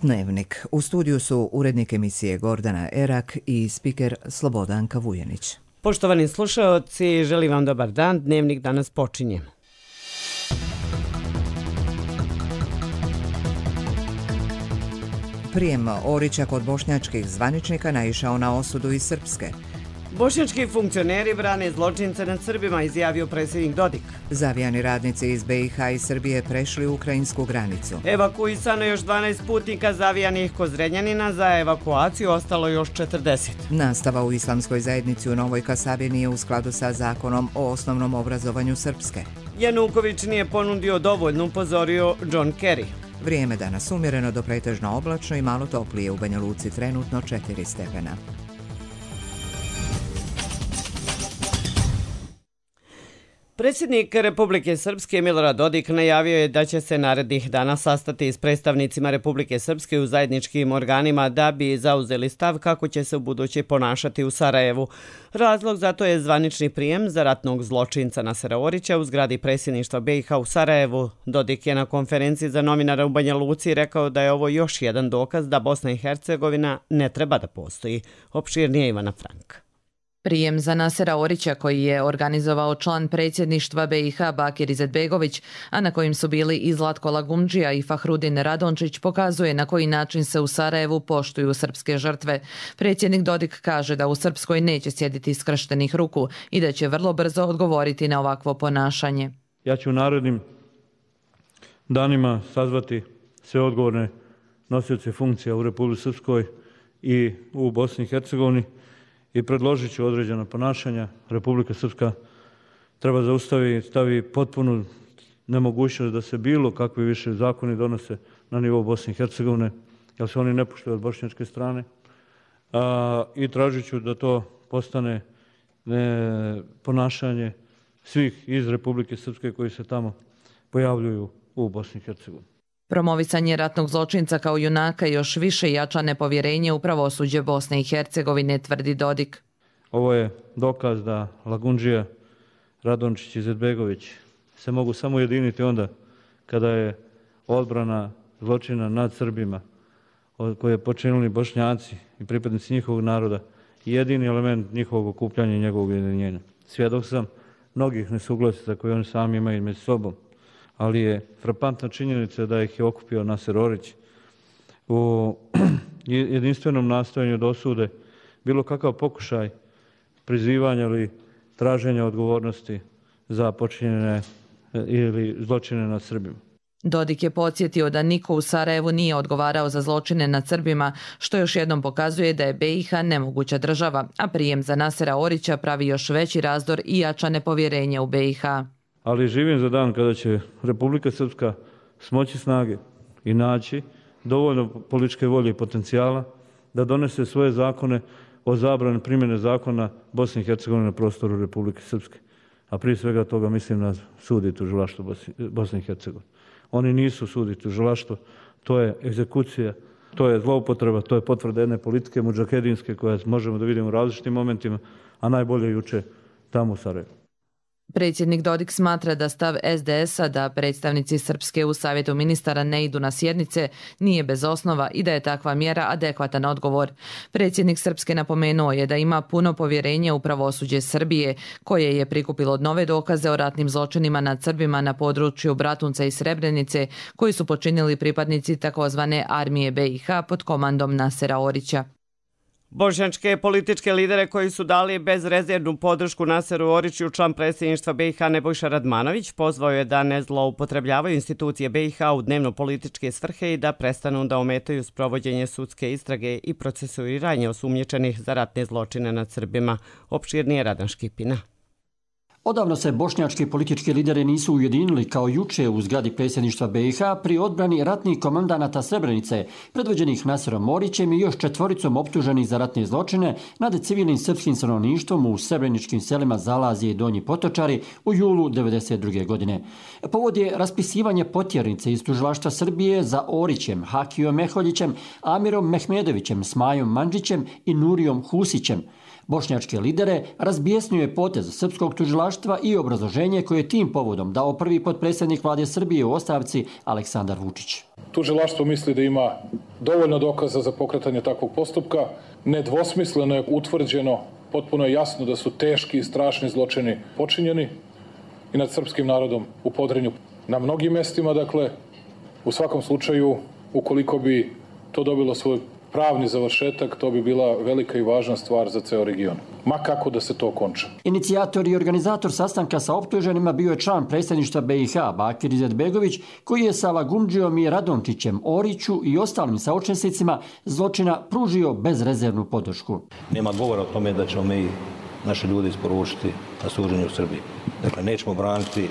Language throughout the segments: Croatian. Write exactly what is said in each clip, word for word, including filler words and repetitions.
Dnevnik. U studiju su urednik emisije Gordana Erak i spiker Slobodanka Vujanić. Poštovani slušaoci, želim vam dobar dan. Dnevnik danas počinje. Prijem Orića kod bošnjačkih zvaničnika naišao na osudu iz Srpske. Bošnjački funkcioneri brane zločince nad Srbima, izjavio predsjednik Dodik. Zavijani radnici iz be i ha i Srbije prešli ukrajinsku granicu. Evakuisano još dvanaest putnika zavijanih kod Zrenjanina, za evakuaciju ostalo još četrdeset. Nastava u islamskoj zajednici u Novoj Kasabi nije u skladu sa zakonom o osnovnom obrazovanju Srpske. Januković nije ponudio dovoljno, upozorio John Kerry. Vrijeme danas umjereno do pretežno oblačno i malo toplije, u Banja Luci trenutno četiri stepena. Predsjednik Republike Srpske Milorad Dodik najavio je da će se narednih dana sastati s predstavnicima Republike Srpske u zajedničkim organima da bi zauzeli stav kako će se u buduće ponašati u Sarajevu. Razlog za to je zvanični prijem za ratnog zločinca Nasera Orića u zgradi predsjedništva be i ha u Sarajevu. Dodik je na konferenciji za novinara u Banja Luci rekao da je ovo još jedan dokaz da Bosna i Hercegovina ne treba da postoji. Opširnije Ivana Frank. Prijem za Nasera Orića koji je organizovao član predsjedništva be i ha Bakir Izetbegović, a na kojim su bili i Zlatko Lagumdžija i Fahrudin Radončić, pokazuje na koji način se u Sarajevu poštuju srpske žrtve. Predsjednik Dodik kaže da u Srpskoj neće sjediti skrštenih ruku i da će vrlo brzo odgovoriti na ovakvo ponašanje. Ja ću u narednim danima sazvati sve odgovorne nosioce funkcija u Republici Srpskoj i u Bosni i Hercegovini i predložit ću određena ponašanja. Republika Srpska treba zaustaviti, stavi potpunu nemogućnost da se bilo kakvi više zakoni donose na nivou Bosne i Hercegovine, jer se oni ne poštuju od bošnjačke strane. A, I tražit ću da to postane ne, ponašanje svih iz Republike Srpske koji se tamo pojavljuju u Bosni i Hercegovini. Promovisanje ratnog zločinca kao junaka još više jača nepovjerenje u pravosuđe Bosne i Hercegovine, tvrdi Dodik. Ovo je dokaz da Lagundžija, Radončić i Izetbegović se mogu samo ujediniti onda kada je odbrana zločina nad Srbima koje je počinili Bošnjaci i pripadnici njihovog naroda jedini element njihovog okupljanja i njegovog ujedinjenja. Svjedok sam mnogih nesuglasica koje oni sami imaju među sobom, ali je frapantna činjenica da ih je okupio Naser Orić u jedinstvenom nastojanju da osude bilo kakav pokušaj prizivanja ili traženja odgovornosti za počinjene ili zločine nad Srbima. Dodik je podsjetio da niko u Sarajevu nije odgovarao za zločine nad Srbima, što još jednom pokazuje da je be i ha nemoguća država, a prijem za Nasera Orića pravi još veći razdor i jača nepovjerenje u be i ha. Ali živim za dan kada će Republika Srpska smoći snage i naći dovoljno političke volje i potencijala da donese svoje zakone o zabrani primjene zakona Bosne i Hercegovine na prostoru Republike Srpske. A prije svega toga mislim na sud i tužilaštvo Bosne i Hercegovine. Oni nisu sud i tužilaštvo, to je egzekucija, to je zloupotreba, to je potvrda jedne politike mudžahedinske koje možemo da vidimo u različitim momentima, a najbolje juče tamo u Sarajevu. Predsjednik Dodik smatra da stav es de es-a da predstavnici Srpske u Savjetu ministara ne idu na sjednice nije bez osnova i da je takva mjera adekvatan odgovor. Predsjednik Srpske napomenuo je da ima puno povjerenje u pravosuđe Srbije, koje je prikupilo nove dokaze o ratnim zločinima nad Srbima na području Bratunca i Srebrenice, koji su počinili pripadnici takozvane armije be i ha pod komandom Nasera Orića. Bošnjačke političke lidere koji su dali bezrezervnu podršku Naseru Oriću, član predsjedništva be i ha Nebojša Radmanović pozvao je da ne zloupotrebljavaju institucije be i ha u dnevno-političke svrhe i da prestanu da ometaju sprovođenje sudske istrage i procesuiranje osumnjičenih za ratne zločine nad Srbima. Opširnije Radan Škipina. Odavno se bošnjački politički lideri nisu ujedinili kao juče u zgradi predsjedništva be i ha pri odbrani ratnih komandanata Srebrenice, predvođenih Naserom Orićem i još četvoricom optuženih za ratne zločine nad civilnim srpskim stanovništvom u srebreničkim selima Zalazije i Donji Potočari u julu devedeset druge. godine. Povod je raspisivanje potjernice iz tužilaštva Srbije za Orićem, Hakijom Meholjićem, Amirom Mehmedovićem, Smajom Mandžićem i Nurijom Husićem. Bošnjačke lidere razbijesnio je potez srpskog tužilaštva i obrazloženje koje je tim povodom dao prvi potpredsjednik vlade Srbije u ostavci Aleksandar Vučić. Tužilaštvo misli da ima dovoljno dokaza za pokretanje takvog postupka. Nedvosmisleno je utvrđeno, potpuno je jasno da su teški i strašni zločini počinjeni i nad srpskim narodom u Podrinju. Na mnogim mestima, dakle, u svakom slučaju, ukoliko bi to dobilo svoj pravni završetak, to bi bila velika i važna stvar za ceo region. Ma kako da se to konča. Inicijator i organizator sastanka sa optuženima bio je član predsjedništva B i H Bakir Izetbegović, koji je sa Lagundžijom i Radončićem, Oriću i ostalim saučesnicima zločina pružio bezrezervnu podršku. Nema govora o tome da ćemo mi naše ljude isporučiti na suđenje u Srbiji. Dakle, nećemo braniti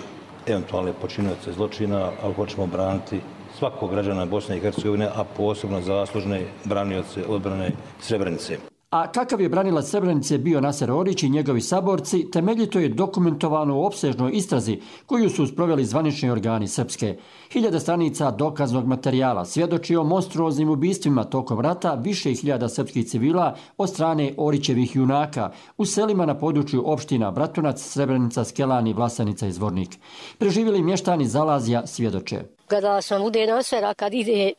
eventualne počinioce zločina, ali hoćemo braniti svakog građana Bosne i Hercegovine, a posebno zaslužne branioce odbrane Srebrenice. A kakav je branilac Srebrenice bio Naser Orić i njegovi saborci, temeljito je dokumentovano u opsežnoj istrazi koju su sproveli zvanični organi Srpske. Hiljada stranica dokaznog materijala svjedoči o monstruoznim ubistvima tokom rata više hiljada srpskih civila od strane Orićevih junaka u selima na području opština Bratunac, Srebrenica, Skelani, Vlasanica i Zvornik. Preživjeli mještani Zalazja svjedoče. Gledala sam ude Nasera kad ide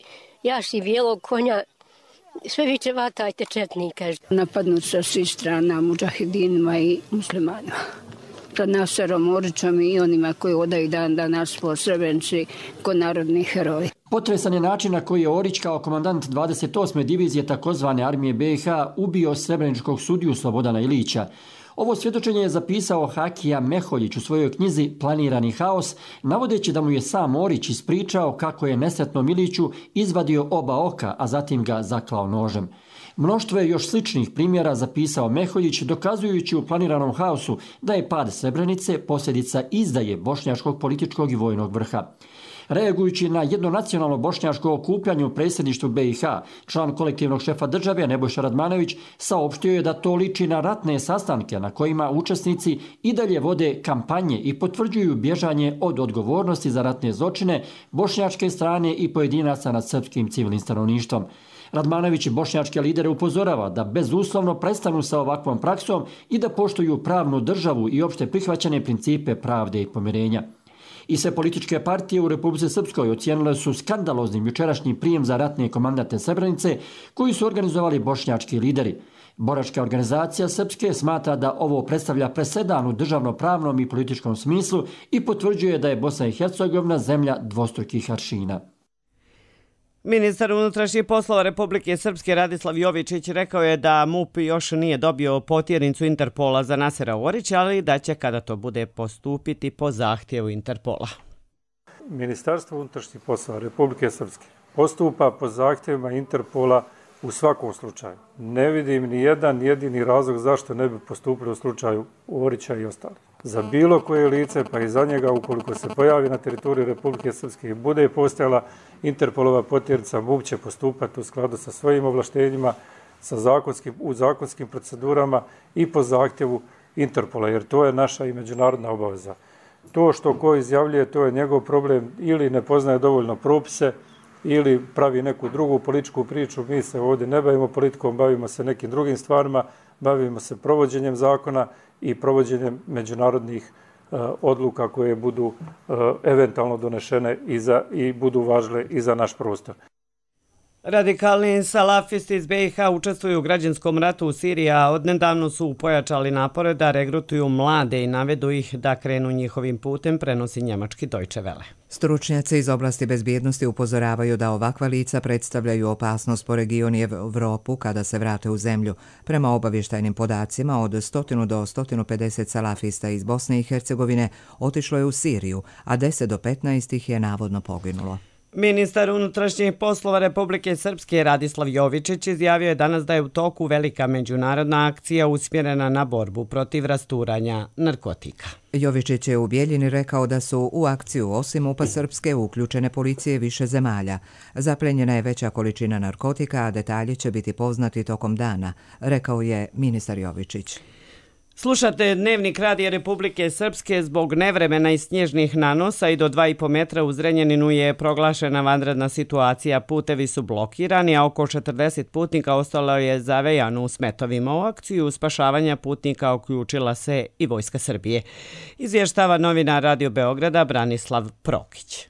jaši bijelog konja, sve viče vatajte četnika. Napadnut sa svih strana mudžahidinima i muslimanima. Tad Naserom Orićom i onima koji odaju dan danas po Srebrenici kod narodnih heroji. Potresan je način na koji je Orić kao komandant dvadeset osme divizije takozvane armije B i H ubio srebreničkog sudiju Slobodana Ilića. Ovo svjedočenje je zapisao Hakija Meholjić u svojoj knjizi Planirani haos, navodeći da mu je sam Orić ispričao kako je nesretnom Iliću izvadio oba oka, a zatim ga zaklao nožem. Mnoštvo je još sličnih primjera zapisao Meholjić, dokazujući u Planiranom haosu da je pad Srebrenice posljedica izdaje bošnjačkog političkog i vojnog vrha. Reagujući na jedno nacionalno bošnjačko okupljanje u predsjedništvu B i H, član kolektivnog šefa države Nebojša Radmanović saopštio je da to liči na ratne sastanke na kojima učesnici i dalje vode kampanje i potvrđuju bježanje od odgovornosti za ratne zločine bošnjačke strane i pojedinaca nad srpskim civilnim stanovništvom. Radmanović i bošnjačke lidere upozorava da bezuslovno prestanu sa ovakvom praksom i da poštuju pravnu državu i opšte prihvaćene principe pravde i pomirenja. I sve političke partije u Republici Srpskoj ocijenile su skandaloznim jučerašnji prijem za ratne komandante Srebrenice koji su organizovali bošnjački lideri. Boračka organizacija Srpske smatra da ovo predstavlja presedan u državno-pravnom i političkom smislu i potvrđuje da je Bosna i Hercegovina zemlja dvostrukih aršina. Ministar unutrašnjih poslova Republike Srpske Radislav Jovičić rekao je da MUP još nije dobio potjernicu Interpola za Nasera Orića, ali da će kada to bude postupiti po zahtjevu Interpola. Ministarstvo unutrašnjih poslova Republike Srpske postupa po zahtjevima Interpola u svakom slučaju. Ne vidim ni jedan jedini razlog zašto ne bi postupili u slučaju Orića i ostalih. Za bilo koje lice, pa i za njega, ukoliko se pojavi na teritoriji Republike Srpske i bude postojala Interpolova potjernica, MUP će postupati u skladu sa svojim ovlaštenjima, sa zakonskim, u zakonskim procedurama i po zahtjevu Interpola, jer to je naša i međunarodna obaveza. To što ko izjavljuje, to je njegov problem, ili ne poznaje dovoljno propise, ili pravi neku drugu političku priču. Mi se ovdje ne bavimo politikom, bavimo se nekim drugim stvarima, bavimo se provođenjem zakona i provođenjem međunarodnih uh, odluka koje budu uh, eventualno donešene i, za, i budu važile i za naš prostor. Radikalni salafisti iz B i H učestvuju u građanskom ratu u Siriji, a odnedavno su pojačali napore da regrutuju mlade i navedu ih da krenu njihovim putem, prenosi njemački Deutsche Welle. Stručnjaci iz oblasti bezbjednosti upozoravaju da ovakva lica predstavljaju opasnost po regionu i Evropu kada se vrate u zemlju. Prema obavještajnim podacima, od sto do sto pedeset salafista iz Bosne i Hercegovine otišlo je u Siriju, a deset do petnaest ih je navodno poginulo. Ministar unutrašnjih poslova Republike Srpske Radislav Jovičić izjavio je danas da je u toku velika međunarodna akcija usmjerena na borbu protiv rasturanja narkotika. Jovičić je u Bijeljini rekao da su u akciju osim MUP-a Srpske uključene policije više zemalja. Zaplenjena je veća količina narkotika, a detalji će biti poznati tokom dana, rekao je ministar Jovičić. Slušate Dnevnik Radija Republike Srpske. Zbog nevremena i snježnih nanosa i do dva i po metra u Zrenjaninu je proglašena vanredna situacija. Putevi su blokirani, a oko četrdeset putnika ostalo je zavejano u smetovima. U akciju spašavanja putnika uključila se i Vojska Srbije. Izvještava novinar Radio Beograda Branislav Prokić.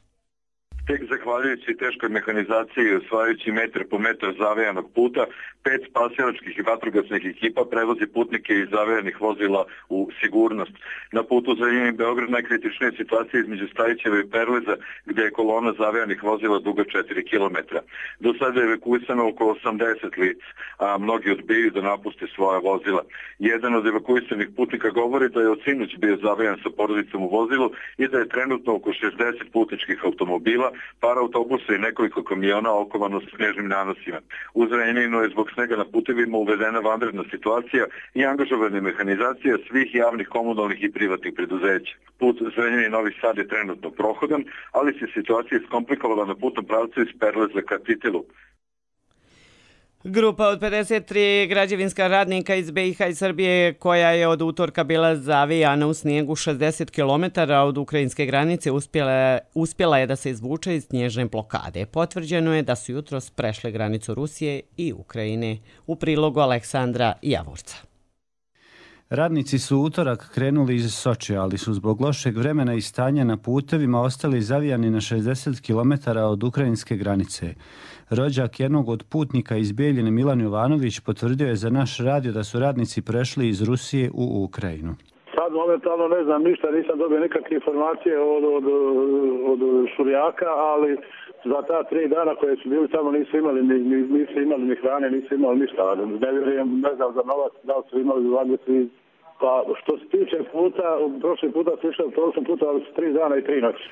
Tek zahvaljujući teškoj mehanizaciji i osvajajući metar po metar zavejanog puta, pet spasilačkih i vatrogasnih ekipa prevozi putnike iz zavejanih vozila u sigurnost. Na putu Zrenjanin-Beograd najkritičnija situacija između Stajićeva i Perleza, gdje je kolona zavejanih vozila duga četiri kilometra. Do sada je evakuisano oko osamdeset lica, a mnogi odbijaju da napuste svoja vozila. Jedan od evakuisanih putnika govori da je od sinoć bio zavejan sa porodicom u vozilu i da je trenutno oko šezdeset putničkih automobila, par autobusa i nekoliko kamiona okovano s snježnim nanosima. U Zrenjaninu je zbog snega na putevima uvedena vanredna situacija i angažovana mehanizacija svih javnih, komunalnih i privatnih preduzeća. Put Zrenjanin-Novi Sad je trenutno prohodan, ali se situacija iskomplikovala na putnom pravcu iz Perleza ka Titilu. Grupa od pedeset tri građevinska radnika iz be i ha i Srbije, koja je od utorka bila zavijana u snijegu šezdeset kilometara od ukrajinske granice, uspjela, uspjela je da se izvuče iz snježne blokade. Potvrđeno je da su jutros prešle granicu Rusije i Ukrajine. U prilogu Aleksandra Javorca. Radnici su utorak krenuli iz Sočija, ali su zbog lošeg vremena i stanja na putevima ostali zavijani na šezdeset kilometara od ukrajinske granice. Rođak jednog od putnika iz Bijeljine, Milan Jovanović, potvrdio je za naš radio da su radnici prešli iz Rusije u Ukrajinu. Sad momentalno ne znam ništa, nisam dobio nikakve informacije od, od, od Šurjaka, ali za ta tri dana koje su bili tamo nisu imali ni, nisu imali ni hrane, nisu imali ništa. Ne vjerujem, ne znam za novac, da li su imali zvadnici. Pa što se tiče puta, prošli puta su išli, prošli puta, ali su tri dana i tri noći.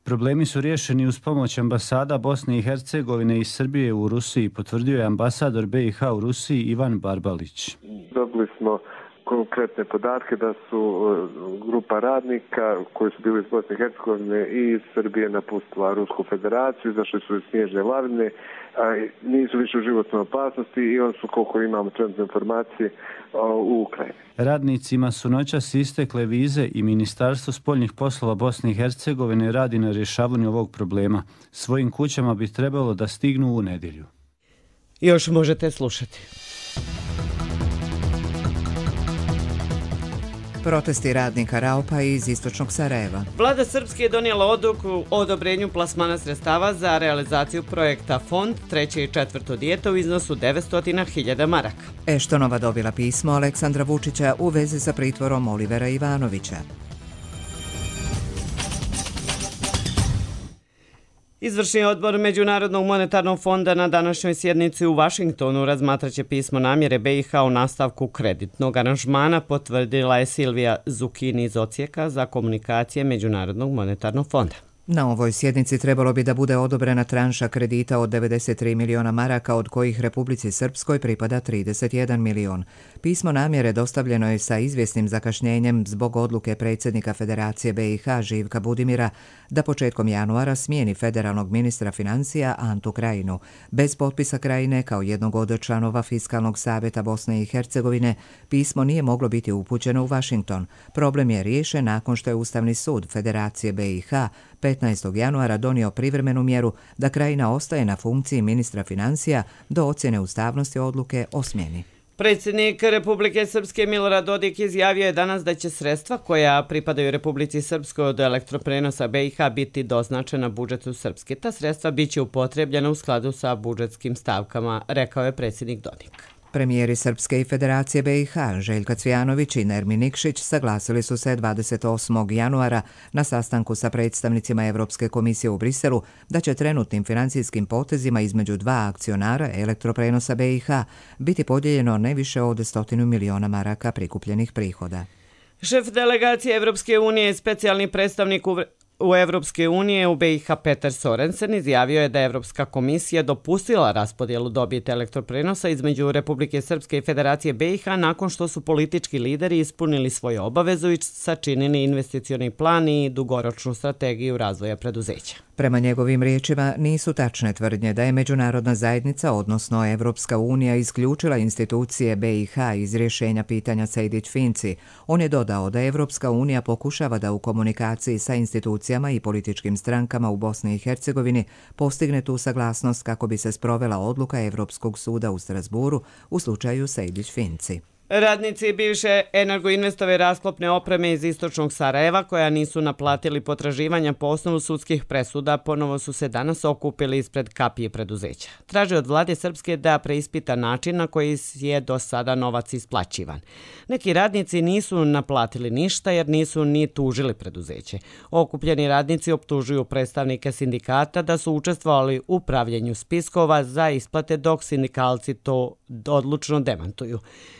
Problemi su riješeni uz pomoć ambasada Bosne i Hercegovine i Srbije u Rusiji, potvrdio je ambasador be i ha u Rusiji Ivan Barbalić. Dobili smo konkretne podatke da su grupa radnika koji su bili iz Bosne i Hercegovine i iz Srbije napustila Rusku federaciju, izašli su iz snježne lavine, a nisu više u životnoj opasnosti i on su, koliko imamo trenutne informacije, u Ukrajini. Radnicima su noćas istekle vize i Ministarstvo spoljnih poslova Bosne i Hercegovine radi na rješavanju ovog problema. Svojim kućama bi trebalo da stignu u nedjelju. Još možete slušati. Protesti radnika Raupa iz istočnog Sarajeva. Vlada Srpske je donijela odluku o odobrenju plasmana sredstava za realizaciju projekta Fond treće i četvrto dijete u iznosu devetsto hiljada maraka. Eštonova dobila pismo Aleksandra Vučića u vezi sa pritvorom Olivera Ivanovića. Izvršni odbor Međunarodnog monetarnog fonda na današnjoj sjednici u Vašingtonu razmatraće pismo namjere be i ha o nastavku kreditnog aranžmana, potvrdila je Silvija Zukini iz Odsjeka za komunikacije Međunarodnog monetarnog fonda. Na ovoj sjednici trebalo bi da bude odobrena tranša kredita od devedeset tri miliona maraka, od kojih Republici Srpskoj pripada trideset jedan milion. Pismo namjere dostavljeno je sa izvjesnim zakašnjenjem zbog odluke predsjednika Federacije be i ha Živka Budimira da početkom januara smijeni federalnog ministra financija Antu Krajinu. Bez potpisa Krajine kao jednog od članova Fiskalnog savjeta Bosne i Hercegovine, pismo nije moglo biti upućeno u Vašington. Problem je riješen nakon što je Ustavni sud Federacije be i ha petnaestog januara donio privremenu mjeru da Krajina ostaje na funkciji ministra financija do ocjene ustavnosti odluke o smjeni. Predsjednik Republike Srpske Milorad Dodik izjavio je danas da će sredstva koja pripadaju Republici Srpskoj od elektroprenosa be i ha biti doznačena budžetu Srpske. Ta sredstva biće upotrebljena u skladu sa budžetskim stavkama, rekao je predsjednik Dodik. Premijeri Srpske i Federacije be i ha Željka Cvijanović i Nermin Nikšić saglasili su se dvadeset osmog januara na sastanku sa predstavnicima Evropske komisije u Briselu da će trenutnim financijskim potezima između dva akcionara elektroprenosa be i ha biti podijeljeno ne više od stotinu miliona maraka prikupljenih prihoda. Šef delegacije Evropske unije i specijalni predstavnik u Evropske unije u B i H Petar Sorensen izjavio je da je Evropska komisija dopustila raspodjelu dobiti elektroprenosa između Republike Srpske i Federacije B i H nakon što su politički lideri ispunili svoju obavezu i sačinili investicioni plan i dugoročnu strategiju razvoja preduzeća. Prema njegovim riječima nisu tačne tvrdnje da je međunarodna zajednica, odnosno Evropska unija, isključila institucije B i H iz rješenja pitanja Sejdić-Finci. On je dodao da Evropska unija pokušava da u komunikaciji sa institucijama i političkim strankama u Bosni i Hercegovini postigne tu saglasnost kako bi se sprovela odluka Evropskog suda u Strasburu u slučaju Sejdić-Finci. Radnici bivše Energoinvestove rasklopne opreme iz istočnog Sarajeva, koja nisu naplatili potraživanja po osnovu sudskih presuda, ponovo su se danas okupili ispred kapije preduzeća. Traže od vlade Srpske da preispita način na koji je do sada novac isplaćivan. Neki radnici nisu naplatili ništa jer nisu ni tužili preduzeće. Okupljeni radnici optužuju predstavnike sindikata da su učestvovali u pravljenju spiskova za isplate, dok sindikalci to odlučno demantuju.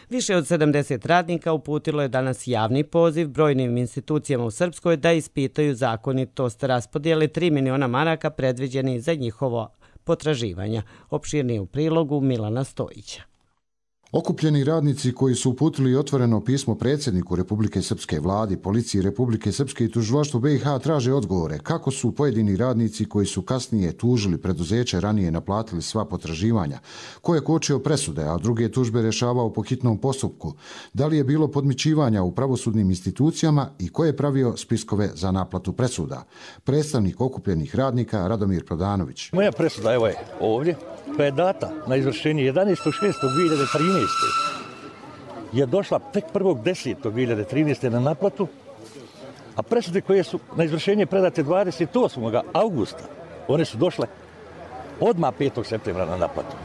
Više od sedamdeset radnika uputilo je danas javni poziv brojnim institucijama u Srpskoj da ispitaju zakonitost raspodjele tri miliona maraka predviđeni za njihovo potraživanja. Opširnije u prilogu Milana Stojića. Okupljeni radnici koji su uputili otvoreno pismo predsjedniku Republike Srpske, vladi, policiji Republike Srpske i tužilaštvu B i H traže odgovore kako su pojedini radnici koji su kasnije tužili preduzeće ranije naplatili sva potraživanja, ko je kočio presude, a druge tužbe rješavao po hitnom postupku, da li je bilo podmićivanja u pravosudnim institucijama i ko je pravio spiskove za naplatu presuda. Predstavnik okupljenih radnika Radomir Prodanović. Moja presuda evo je ovdje, koja je data na izvršenje jedanaestog šestog dvije hiljade trinaeste. je došla tek prvog desetog dvije hiljade trinaeste. na naplatu, a presude koje su na izvršenje predate dvadeset osmog augusta, one su došle odmah petog septembra na naplatu.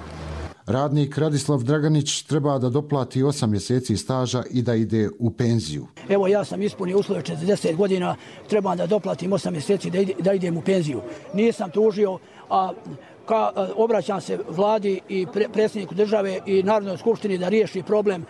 Radnik Radislav Draganić treba da doplati osam mjeseci staža i da ide u penziju. Evo ja sam ispunio uslove četrdeset godina, trebam da doplatim osam mjeseci da, ide, da idem u penziju. Nisam tužio, a ka, obraćam se vladi i pre, predsjedniku države i Narodnoj skupštini da riješi problem.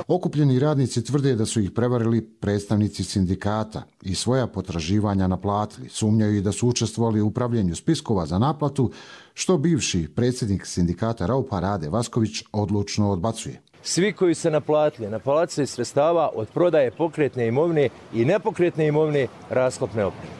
Okupljeni radnici tvrde da su ih prevarili predstavnici sindikata i svoja potraživanja naplatili. Sumnjaju i da su učestvovali u upravljanju spiskova za naplatu, što bivši predsjednik sindikata Raupa Rade Vasković odlučno odbacuje. Svi koji se naplatili, naplatili sredstava od prodaje pokretne imovine i nepokretne imovine rasklopne opreme.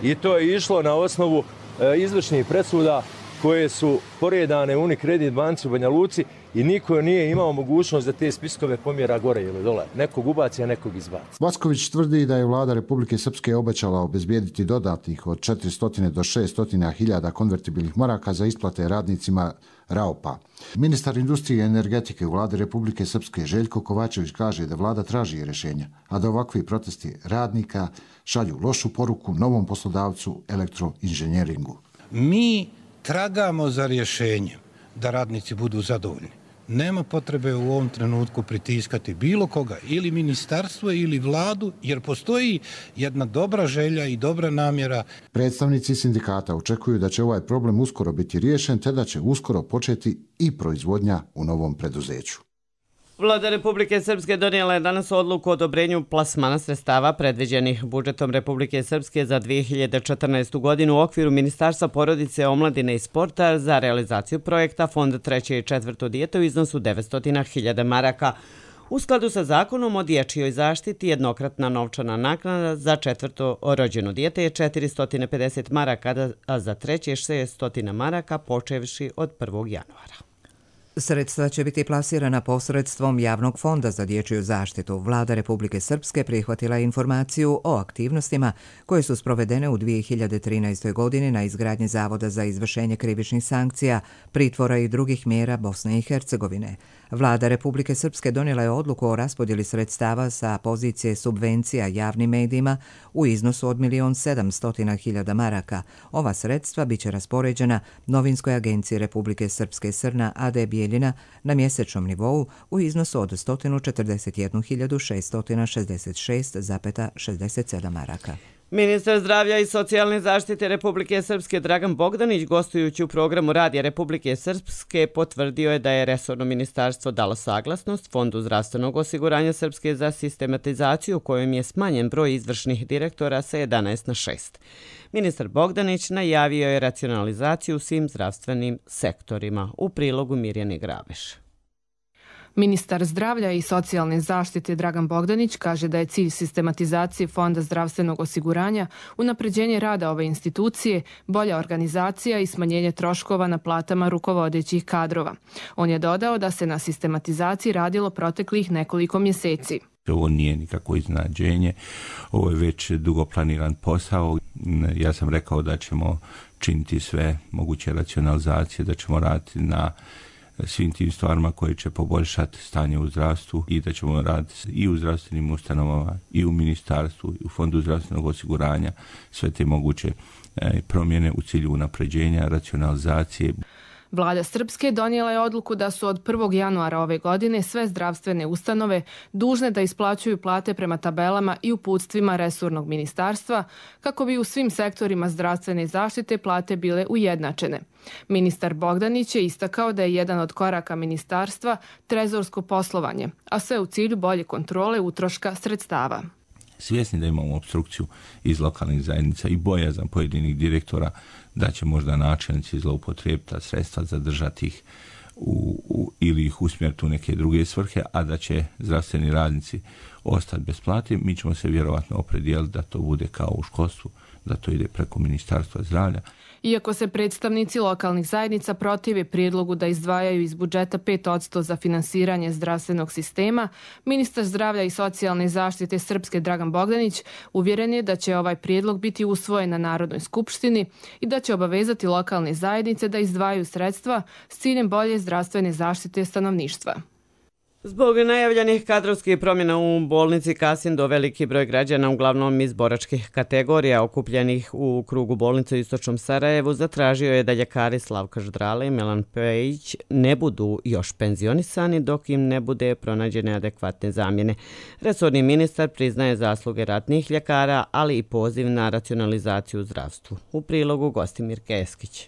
I to je išlo na osnovu e, izvršnih presuda koje su poredane u Unikredit banci u Banja Luci i niko nije imao mogućnost da te spiskove pomjera gore ili dole. Nekog ubaci, a nekog izbaci. Vasković tvrdi da je vlada Republike Srpske obećala obezbijediti dodatnih od četiristo do šesto hiljada konvertibilnih maraka za isplate radnicima Raupa. Ministar industrije i energetike u vladi Republike Srpske Željko Kovačević kaže da vlada traži rješenja, a da ovakvi protesti radnika šalju lošu poruku novom poslodavcu elektroinženjeringu. Mi tragamo za rješenje da radnici budu zadovoljni. Nema potrebe u ovom trenutku pritiskati bilo koga, ili ministarstvo ili vladu, jer postoji jedna dobra želja i dobra namjera. Predstavnici sindikata očekuju da će ovaj problem uskoro biti riješen, te da će uskoro početi i proizvodnja u novom preduzeću. Vlada Republike Srpske donijela je danas odluku o odobrenju plasmana sredstava predviđenih budžetom Republike Srpske za dvije hiljade četrnaestu. godinu u okviru Ministarstva porodice, omladine i sporta za realizaciju projekta Fond treće i četvrto dijete u iznosu devetsto hiljada maraka. U skladu sa zakonom o dječjoj zaštiti, jednokratna novčana naknada za četvrto rođeno dijete je četiristo pedeset maraka, a za treće šesto maraka počevši od prvog januara. Sredstva će biti plasirana posredstvom Javnog fonda za dječju zaštitu. Vlada Republike Srpske prihvatila informaciju o aktivnostima koje su sprovedene u dvije hiljade trinaestoj. godini na izgradnji Zavoda za izvršenje krivičnih sankcija, pritvora i drugih mjera Bosne i Hercegovine. Vlada Republike Srpske donijela je odluku o raspodjeli sredstava sa pozicije subvencija javnim medijima u iznosu od milion sedamsto hiljada maraka. Ova sredstva biće raspoređena Novinskoj agenciji Republike Srpske Srna A D Bijeljina na mjesečnom nivou u iznosu od sto četrdeset jednu hiljadu šesto šezdeset šest zarez šezdeset sedam maraka. Ministar zdravlja i socijalne zaštite Republike Srpske Dragan Bogdanić, gostujući u programu Radija Republike Srpske, potvrdio je da je resorno ministarstvo dalo saglasnost Fondu zdravstvenog osiguranja Srpske za sistematizaciju kojom je smanjen broj izvršnih direktora sa jedanaest na šest. Ministar Bogdanić najavio je racionalizaciju u svim zdravstvenim sektorima. U prilogu Mirjane Graveš. Ministar zdravlja i socijalne zaštite Dragan Bogdanić kaže da je cilj sistematizacije Fonda zdravstvenog osiguranja unapređenje rada ove institucije, bolja organizacija i smanjenje troškova na platama rukovodećih kadrova. On je dodao da se na sistematizaciji radilo proteklih nekoliko mjeseci. Ovo nije nikako iznenađenje, ovo je već dugo planiran posao. Ja sam rekao da ćemo činiti sve moguće racionalizacije, da ćemo raditi na svim tim stvarima koje će poboljšati stanje u zdravstvu i da ćemo raditi i u zdravstvenim ustanovama i u ministarstvu i u Fondu zdravstvenog osiguranja sve te moguće promjene u cilju unapređenja, racionalizacije. Vlada Srpske donijela je odluku da su od prvog januara ove godine sve zdravstvene ustanove dužne da isplaćuju plate prema tabelama i uputstvima resornog ministarstva kako bi u svim sektorima zdravstvene zaštite plate bile ujednačene. Ministar Bogdanić je istakao da je jedan od koraka ministarstva trezorsko poslovanje, a sve u cilju bolje kontrole utroška sredstava. Svjesni da imamo opstrukciju iz lokalnih zajednica i bojazan pojedinih direktora da će možda načelnici zloupotrijebiti ta sredstva, zadržati ih u, u, ili ih usmjeriti u neke druge svrhe, a da će zdravstveni radnici ostati bez plate, mi ćemo se vjerovatno opredijeliti da to bude kao u školstvu, da to ide preko Ministarstva zdravlja. Iako se predstavnici lokalnih zajednica protive prijedlogu da izdvajaju iz budžeta pet posto za finansiranje zdravstvenog sistema, ministar zdravlja i socijalne zaštite Srpske Dragan Bogdanić uvjeren je da će ovaj prijedlog biti usvojen na Narodnoj skupštini i da će obavezati lokalne zajednice da izdvajaju sredstva s ciljem bolje zdravstvene zaštite stanovništva. Zbog najavljenih kadrovskih promjena u bolnici Kasindo, veliki broj građana, uglavnom iz boračkih kategorija okupljenih u krugu bolnice u Istočnom Sarajevu, zatražio je da ljekari Slavka Ždrale i Milan Pejić ne budu još penzionisani dok im ne bude pronađene adekvatne zamjene. Resorni ministar priznaje zasluge ratnih ljekara, ali i poziv na racionalizaciju u zdravstvu. U prilogu Gostimir Keskić.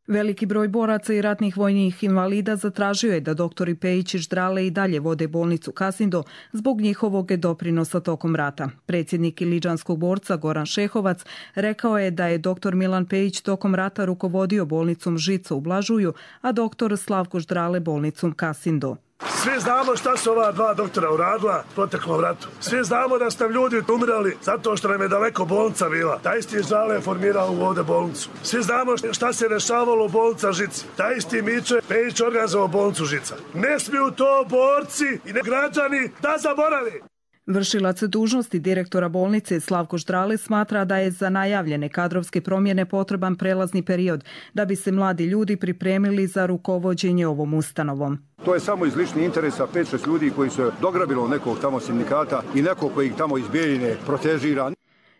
Veliki broj boraca i ratnih vojnih invalida zatražio je da doktori Pejić i Ždrale i dalje vode bolnicu Kasindo zbog njihovog doprinosa tokom rata. Predsjednik iliđanskog borca Goran Šehovac rekao je da je doktor Milan Pejić tokom rata rukovodio bolnicom Žica u Blažuju, a doktor Slavko Ždrale bolnicom Kasindo. Svi znamo šta su ova dva doktora uradila proteklom ratu. Svi znamo da ste ljudi umirali zato što nam je daleko bolnica bila. Taj isti Ždrale je formirao ovdje bolnicu. Svi znamo šta se rešavalo u bolnica Žici. Taj isti Miće Pejić organizovao bolnicu Žica. Ne smiju to borci i ne građani da zaboravi. Vršilac dužnosti direktora bolnice Slavko Ždrale smatra da je za najavljene kadrovske promjene potreban prelazni period da bi se mladi ljudi pripremili za rukovođenje ovom ustanovom. To je samo iz ličnih interesa pet šest ljudi koji su dograbilo nekog tamo sindikata i nekog koji ih tamo iz Bijeljine protežira.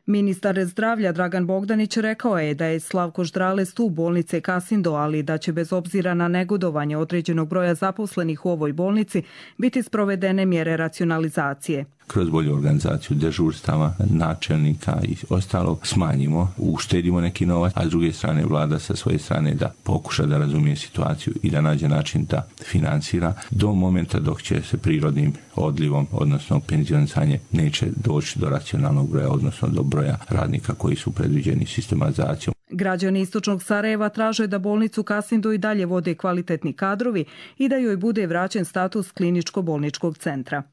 Ministar zdravlja Dragan Bogdanić rekao je da je Slavko Ždrale stup bolnice Kasindo, ali da će bez obzira na negodovanje određenog broja zaposlenih u ovoj bolnici biti sprovedene mjere racionalizacije. Kroz bolju organizaciju dežurstava, načelnika i ostalog smanjimo, uštedimo neki novac, a s druge strane vlada sa svoje strane da pokuša da razumije situaciju i da nađe način da finansira do momenta dok će se prirodnim odlivom, odnosno penzionisanje, neće doći do racionalnog broja, odnosno do broja radnika koji su predviđeni sistematizacijom. Građani Istočnog Sarajeva traže da bolnicu Kasindo i dalje vode kvalitetni kadrovi i da joj bude vraćen status kliničko-bolničkog centra.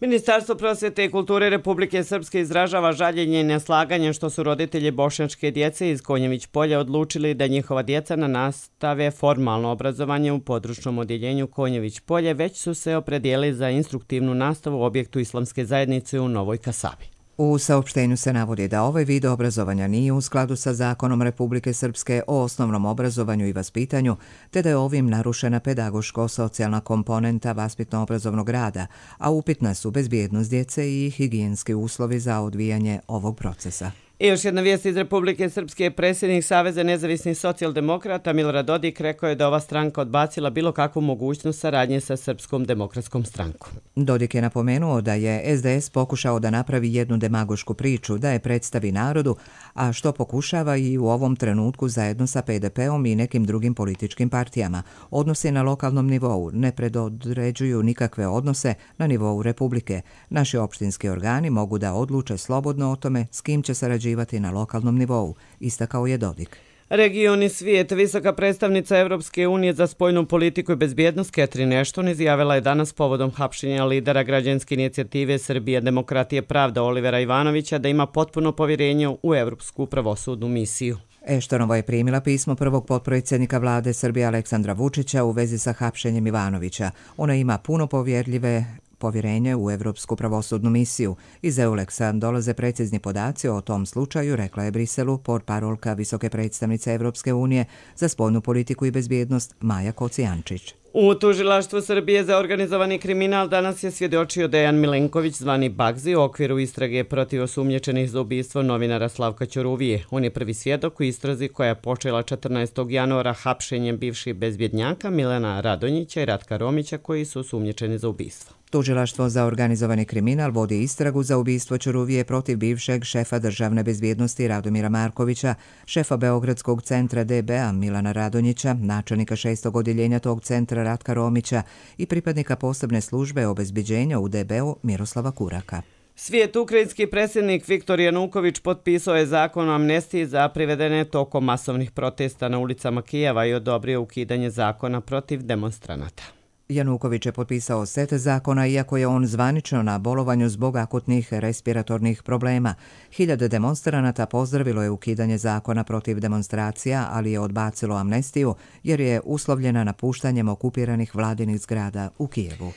Ministarstvo prosvjete i kulture Republike Srpske izražava žaljenje i neslaganje što su roditelji bošnjačke djece iz Konjević polja odlučili da njihova djeca na nastave formalno obrazovanje u područnom odjeljenju Konjević polje, već su se opredijelili za instruktivnu nastavu u objektu Islamske zajednice u Novoj Kasabi. U saopštenju se navodi da ovaj vid obrazovanja nije u skladu sa zakonom Republike Srpske o osnovnom obrazovanju i vaspitanju, te da je ovim narušena pedagoško-socijalna komponenta vaspitno-obrazovnog rada, a upitna su bezbjednost djece i higijenski uslovi za odvijanje ovog procesa. I još jedna vijest iz Republike Srpske. Predsjednik Saveza nezavisnih socijaldemokrata Milorad Dodik rekao je da ova stranka odbacila bilo kakvu mogućnost saradnje sa Srpskom demokratskom strankom. Dodik je napomenuo da je es de es pokušao da napravi jednu demagošku priču, da je predstavi narodu, a što pokušava i u ovom trenutku zajedno sa pe de peom i nekim drugim političkim partijama. Odnosi na lokalnom nivou ne predodređuju nikakve odnose na nivou Republike. Naši opštinski organi mogu da odluče slobodno o tome s kim će sarađivati na lokalnom nivou, istakao je Dodik. Region i svijet. Visoka predstavnica Evropske unije za spoljnu politiku i bezbjednost Catherine Ashton izjavila je danas povodom hapšenja lidera građanske inicijative Srbija, demokratije, pravda Olivera Ivanovića da ima potpuno povjerenje u Evropsku pravosudnu misiju. Eštonova je primila pismo prvog potpredsjednika vlade Srbije Aleksandra Vučića u vezi sa hapšenjem Ivanovića. Ona ima puno povjerljive povjerenje u Evropsku pravosudnu misiju. Iz Euleksa dolaze precizni podaci o tom slučaju, rekla je Briselu portparolka visoke predstavnice Evropske unije za spoljnu politiku i bezbjednost Maja Kocijančić. U tužilaštvu Srbije za organizovani kriminal danas je svjedočio Dejan Milenković, zvani Bagzi, u okviru istrage protiv osumnjičenih za ubistvo novinara Slavka Ćuruvije. On je prvi svjedok u istrazi koja je počela četrnaestog januara hapšenjem bivših bezbjednjaka Milana Radonjića i Ratka Romića koji su osumnjičeni za ubistvo. Tužilaštvo za organizovani kriminal vodi istragu za ubistvo Ćuruvije protiv bivšeg šefa državne bezbjednosti Radomira Markovića, šefa Beogradskog centra de be a Milana Radonjića, načelnika šestog odjeljenja tog centra Ratka Romića i pripadnika posebne službe obezbeđenja u de be u Miroslava Kuraka. Svijet ukrajinski predsjednik Viktor Januković potpisao je zakon o amnestiji za privedene tokom masovnih protesta na ulicama Kijeva i odobrio ukidanje zakona protiv demonstranata. Januković je potpisao set zakona, iako je on zvanično na bolovanju zbog akutnih respiratornih problema. Hiljade demonstranata pozdravilo je ukidanje zakona protiv demonstracija, ali je odbacilo amnestiju jer je uslovljena napuštanjem okupiranih vladinih zgrada u Kijevu.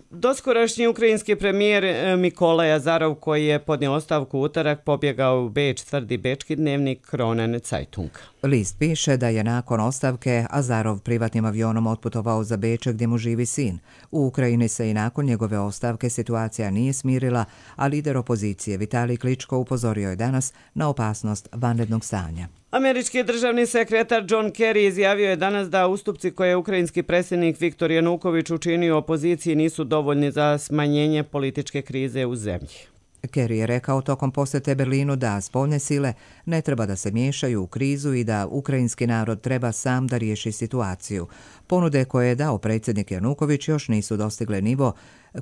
Doskorašnji ukrajinski premijer Mikolaj Azarov, koji je podnio ostavku utorak, pobjegao u Beč, tvrdi bečki dnevnik Kronen Zeitung. List piše da je nakon ostavke Azarov privatnim avionom otputovao za Beč gdje mu živi sin. U Ukrajini se i nakon njegove ostavke situacija nije smirila, a lider opozicije Vitalij Kličko upozorio je danas na opasnost vanrednog stanja. Američki državni sekretar John Kerry izjavio je danas da ustupci koje je ukrajinski predsjednik Viktor Januković učinio opoziciji nisu dovoljni za smanjenje političke krize u zemlji. Kerry je rekao tokom posjete Berlinu da spoljne sile ne treba da se miješaju u krizu i da ukrajinski narod treba sam da riješi situaciju. Ponude koje je dao predsjednik Januković još nisu dostigle nivo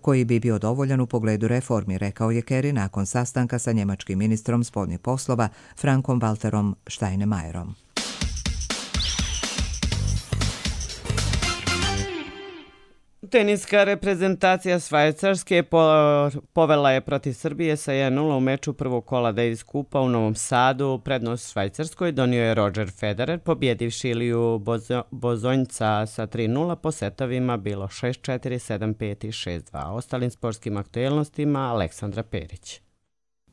koji bi bio dovoljan u pogledu reformi, rekao je Kerry nakon sastanka sa njemačkim ministrom spoljnih poslova Frankom Walterom Steinmeierom. Teniska reprezentacija Švajcarske povela je protiv Srbije sa jedan nula u meču prvog kola Davis Kupa u Novom Sadu. Prednost Švajcarskoj donio je Roger Federer, pobjedivši Iliju Bozonjca sa tri nula, po setovima bilo šest četiri, sedam pet i šest dva. Ostalim sportskim aktuelnostima Aleksandra Perić.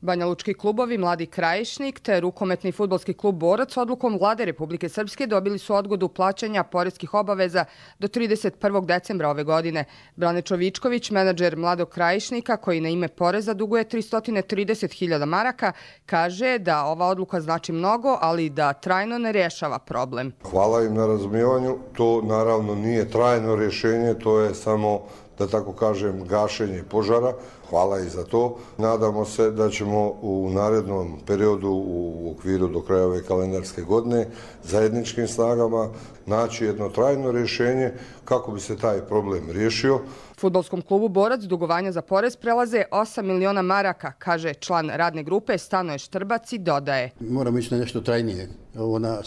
Banjalučki klubovi Mladi Krajišnik te rukometni fudbalski klub Borac odlukom Vlade Republike Srpske dobili su odgodu plaćanja poreskih obaveza do trideset prvog decembra ove godine. Brane Čovičković, menadžer Mladog Krajišnika, koji na ime poreza duguje tristo trideset hiljada maraka, kaže da ova odluka znači mnogo, ali da trajno ne rješava problem. Hvala im na razumijevanju. To naravno nije trajno rješenje, to je samo, da tako kažem, gašenje požara. Hvala i za to. Nadamo se da ćemo u narednom periodu u okviru do kraja ove kalendarske godine zajedničkim snagama naći jedno trajno rješenje kako bi se taj problem riješio. Fudbalskom klubu Borac dugovanja za porez prelaze osam miliona maraka, kaže član radne grupe Stanoje Štrbac i dodaje. Moramo ići na nešto trajnije. Ona,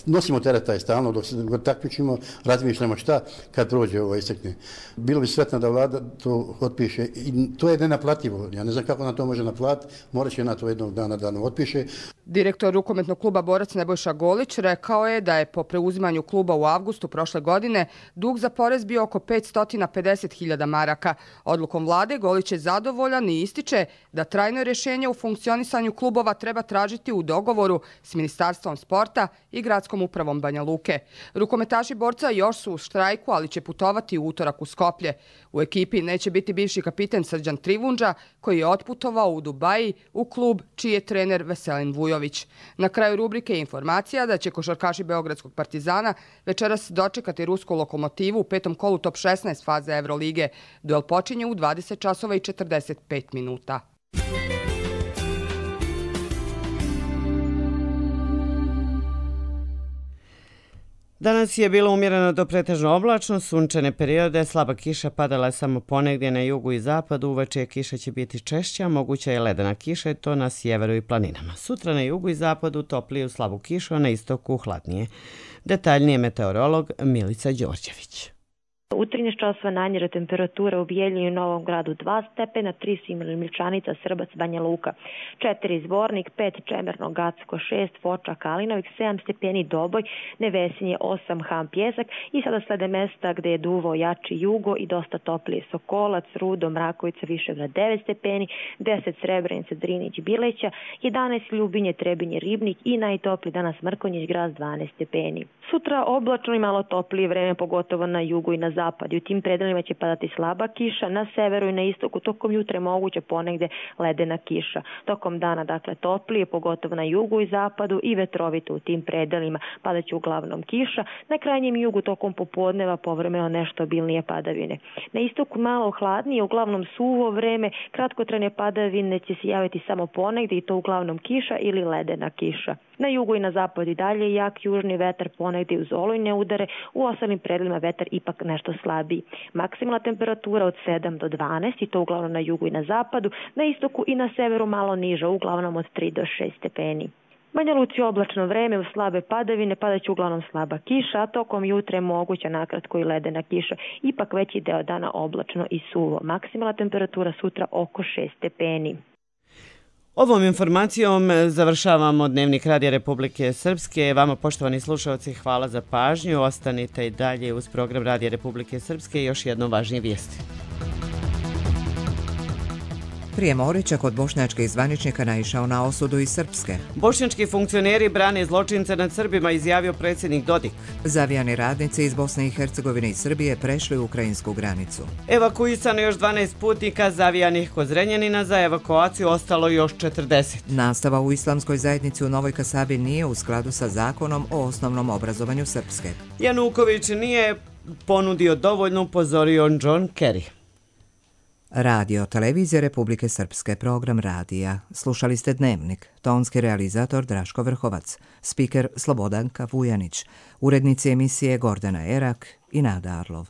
nosimo teret taj stalno, dok se takmičimo, razmišljamo šta kad prođe ovo istekne. Bilo bi sretno da vlada to otpiše i to je nenaplativo. Ja ne znam kako na to može naplatiti, morat će na to jednog dana da nam otpiše. Direktor rukometnog kluba Borac Nebojša Golić rekao je da je po preuzimanju stečaju kluba u avgustu prošle godine dug za porez bio oko petsto pedeset hiljada maraka. Odlukom vlade Golić je zadovoljan i ističe da trajno rješenje u funkcionisanju klubova treba tražiti u dogovoru s Ministarstvom sporta i gradskom upravom Banja Luke. Rukometaši Borca još su u štrajku, ali će putovati u utorak u Skoplje. U ekipi neće biti bivši kapiten Srđan Trivundža, koji je otputovao u Dubaji u klub čiji je trener Veselin Vujović. Na kraju rubrike je informacija da će košarkaši Beogradskog Partizana večeras dočekati rusku Lokomotivu u petom kolu top šesnaest faze Evrolige. Duel počinje u dvadeset časova i četrdeset pet minuta. Danas je bilo umjereno do pretežno oblačno, sunčane periode, slaba kiša padala je samo ponegdje na jugu i zapadu, uveče kiša će biti češća, moguća je ledena kiša i to na sjeveru i planinama. Sutra na jugu i zapadu topliju slabu kišu, a na istoku hladnije. Detaljnije meteorolog Milica Đorđević. U trinaest časova najniža temperatura u Bijeljini i Novom Gradu dva stepena, tri Simil Milčanica, Srbac, Banja Luka, četiri Zvornik, pet Čemerno, Gacko, šest Foča, Kalinovik, sedam stepeni Doboj, Nevesinje, osam Ham, Pjesak i sada slede mesta gdje je duvao jači jugo i dosta toplije Sokolac, Rudo, Mrakovica, Višegrad devet stepeni, deset Srebrenica, Drinić, Bileća, jedanaest Ljubinje, Trebinje, Ribnik i najtopliji danas Mrkonjić, Graz dvanaest stepeni. Sutra oblačno i malo toplije vreme, pogotovo na jugu i na zapadu. U tim predelima će padati slaba kiša, na severu i na istoku tokom jutra je moguće ponegde ledena kiša. Tokom dana, dakle, toplije, pogotovo na jugu i zapadu i vetrovito u tim predelima padaće uglavnom kiša. Na krajnjem jugu tokom popodneva povremeno nešto obilnije padavine. Na istoku malo hladnije, uglavnom suvo vreme, kratkotrajne padavine će se javiti samo ponegde i to uglavnom kiša ili ledena kiša. Na jugu i na zapadu i dalje jak južni vetar, ponegdje uz olujne udare, u ostalim predelima vetar ipak nešto slabiji. Maksimalna temperatura od sedam do dvanaest i to uglavnom na jugu i na zapadu, na istoku i na severu malo niža, uglavnom od tri do šest stepeni. Banja Luci oblačno vreme, u slabe padavine padaće uglavnom slaba kiša, a tokom jutra je moguća nakratko i ledena kiša. Ipak veći deo dana oblačno i suvo. Maksimalna temperatura sutra oko šest stepeni. Ovom informacijom završavamo Dnevnik Radija Republike Srpske. Vama, poštovani slušalci, hvala za pažnju. Ostanite i dalje uz program Radija Republike Srpske i još jednom važnije vijesti. Prijem Orića kod bošnjačkih zvaničnika naišao na osudu iz Srpske. Bošnjački funkcioneri brane zločince nad Srbima, izjavio predsjednik Dodik. Zavijani radnici iz Bosne i Hercegovine i Srbije prešli ukrajinsku granicu. Evakuisano još dvanaest putnika zavijanih kod Zrenjanina, za evakuaciju ostalo još četrdeset. Nastava u islamskoj zajednici u Novoj Kasabi nije u skladu sa zakonom o osnovnom obrazovanju Srpske. Januković nije ponudio dovoljno, upozorio John Kerry. Radio Televizije Republike Srpske, program radija. Slušali ste Dnevnik, tonski realizator Draško Vrhovac, spiker Slobodanka Vujanić, urednici emisije Gordana Erak i Nada Arlov.